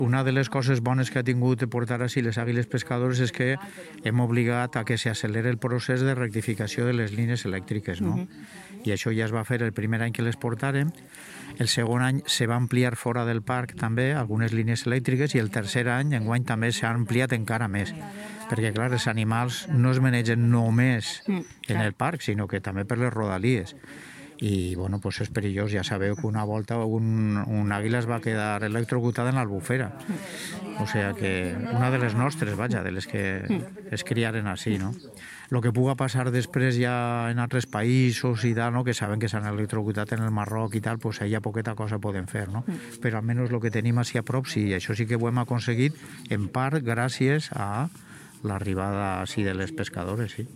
Una de les coses bones que ha tingut de portar així les àguiles pescadores és que hem obligat a que s'accelere el procés de rectificació de les línies elèctriques, no? I això ja es va fer el primer any que les portàrem. El segon any se va ampliar fora del parc també algunes línies elèctriques i el tercer any, enguany, també s'ha ampliat encara més. Perquè, clar, els animals no es manegen només en el parc, sinó que també per les rodalies. I, bueno, pues és perillós. Ja sabeu que una volta un àguila es va quedar electrocutada en l'Albufera. O sigui que una de les nostres, vaja, de les que es criaren així, no? El que puga passar després ja en altres països i tal, no? Que saben que s'han electrocutat en el Marroc i tal, pues allà poqueta cosa poden fer, no? Però almenys el que tenim així a prop, sí, això sí que ho hem aconseguit, en part gràcies a l'arribada així de les pescadores, sí.